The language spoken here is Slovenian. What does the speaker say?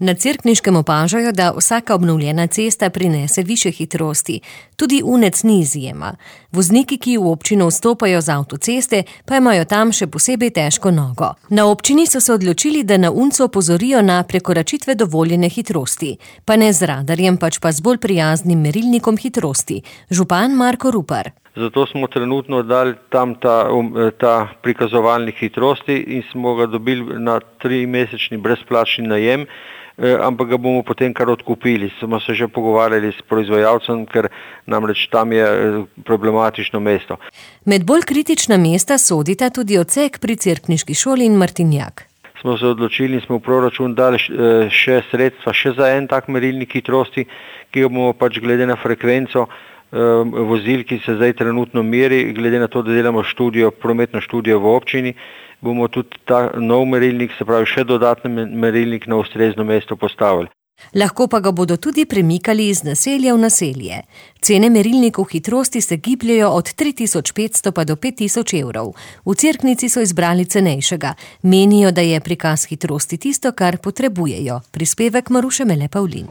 Na Cerkniškem opažajo, da vsaka obnovljena cesta prinese višje hitrosti. Tudi Unec ni izjema. Vozniki, ki v občino vstopajo z avtoceste, pa imajo tam še posebej težko nogo. Na občini so se odločili, da na Uncu opozorijo na prekoračitve dovoljene hitrosti. Pa ne z radarjem, pač pa z bolj prijaznim merilnikom hitrosti. Župan Marko Rupar. Zato smo trenutno dali tam ta prikazovalnik hitrosti in smo ga dobili na 3-mesečni brezplačni najem, ampak ga bomo potem kar odkupili. Smo se že pogovarjali s proizvajalcem, ker namreč tam je problematično mesto. Med bolj kritična mesta sodita tudi odsek pri Cerkniški šoli in Martinjak. Smo se odločili in smo v proračun dali še sredstva še za en tak merilnik hitrosti, ki ga bomo pač glede na frekvenco vozil, ki se zdaj trenutno meri, glede na to, da delamo prometno študijo v občini, bomo tudi ta nov merilnik, se pravi še dodatni merilnik na ustrezno mesto postavili. Lahko pa ga bodo tudi premikali iz naselja v naselje. Cene merilnikov hitrosti se gibljajo od 3500 pa do 5000 evrov. V Cerknici so izbrali cenejšega. Menijo, da je prikaz hitrosti tisto, kar potrebujejo. Prispevek Maruše Mele Pavlin.